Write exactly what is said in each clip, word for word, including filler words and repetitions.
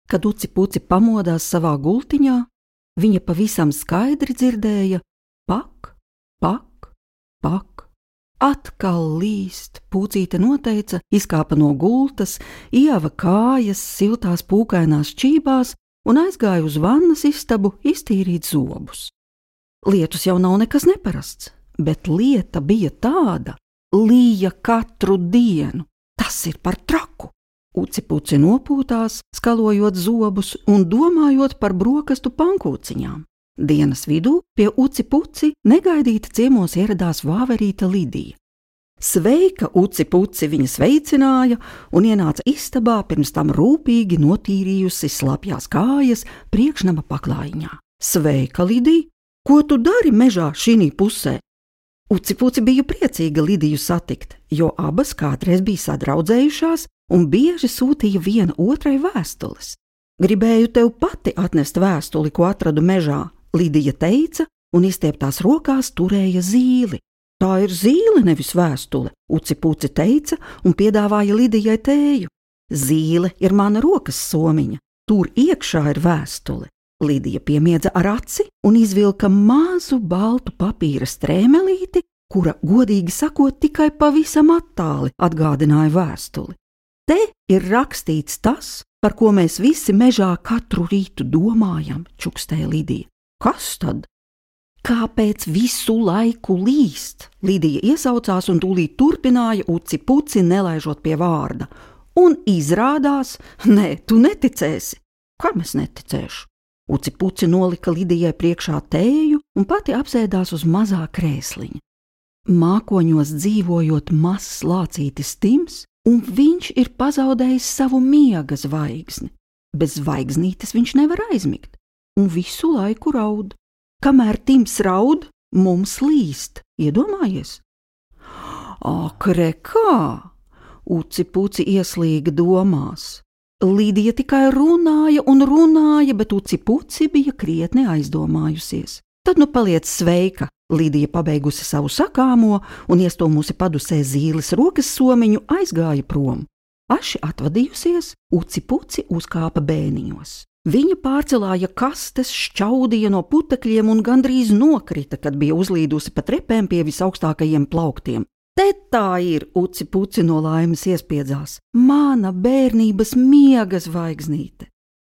Kad Uci Puci pamodās savā gultiņā, viņa pavisam skaidri dzirdēja pak, pak, pak. Atkal līst, Pucīte noteica, izkāpa no gultas, ieva kājas siltās pūkainās čībās un aizgāja uz vannas istabu iztīrīt zobus. Lietus jau nav nekas neparasts, bet lieta bija tāda, līja katru dienu. Tas ir par traku. Uci Puci nopūtās, skalojot zobus un domājot par brokastu pankūciņām. Dienas vidū pie Uci Puci negaidīti ciemos ieradās vāverīte Lidija. Sveika, Uci Puci, viņa sveicināja un ienāca istabā, pirms tam rūpīgi notīrījusi slapjās kājas priekšnama paklājiņā. Sveika, Lidija! Ko tu dari mežā šinī pusē? Uci Puci bija priecīga Lidiju satikt, jo abas kādreiz bija sadraudzējušās un bieži sūtīja viena otrai vēstules. Gribēju tev pati atnest vēstuli, ko atradu mežā, Lidija teica un izstieptās rokās turēja zīli. Tā ir zīle, nevis vēstule, Uci Puci teica un piedāvāja Lidijai tēju. Zīle ir mana rokas somiņa, tur iekšā ir vēstule. Lidija piemiedza ar aci un izvilka mazu baltu papīra strēmelīti, kura, godīgi sakot, tikai pavisam attāli atgādināja vēstuli. Te ir rakstīts tas, par ko mēs visi mežā katru rītu domājam, čukstēja Lidija. Kas tad? Kāpēc visu laiku līst? Lidija iesaucās un tūlīt turpināja Uci Puci, nelaižot pie vārda. Un izrādās, nē, tu neticēsi. Kam es neticēšu? Uci Puci nolika Lidijai priekšā tēju un pati apsēdās uz mazā krēsliņa. Mākoņos dzīvojot mazs lācītis Tims, un viņš ir pazaudējis savu miega zvaigzni. Bez zvaigznītes viņš nevar aizmigt, un visu laiku raud. Kamēr Tims raud, mums līst, iedomājies? Ak, re kā! Uci Puci ieslīga domās. Lidija tikai runāja un runāja, bet Uci Puci bija krietni aizdomājusies. Tad nu paliec sveika, Lidija pabeigusi savu sakāmo un iestūmusi padusē zīles rokas somiņu aizgāja prom. Aši atvadījusies, Uci Puci uzkāpa bēniņos. Viņa pārcelāja kastes, šķaudīja no putekļiem un gandrīz nokrita, kad bija uzlīdusi pa trepēm pie visaugstākajiem plauktiem. Te tā ir, Uci Puci no laimes iespiedzās, mana bērnības miega zvaigznīte.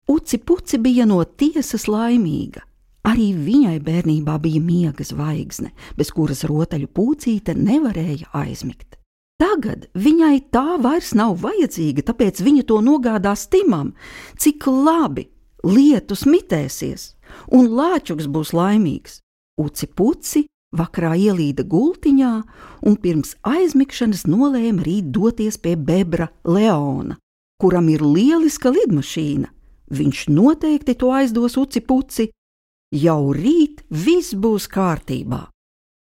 Uci Puci bija no tiesas laimīga. Arī viņai bērnībā bija miega zvaigzne, bez kuras rotaļu Pucīte nevarēja aizmigt. Tagad viņai tā vairs nav vajadzīga, tāpēc viņa to nogādās Timam. Cik labi, lietus mitēsies, un lāčuks būs laimīgs. Uci Puci vakarā ielīda gultiņā un pirms aizmigšanas nolēma rīt doties pie bebra Leona, kuram ir lieliska lidmašīna. Viņš noteikti to aizdos Uci Puci. Jau rīt viss būs kārtībā.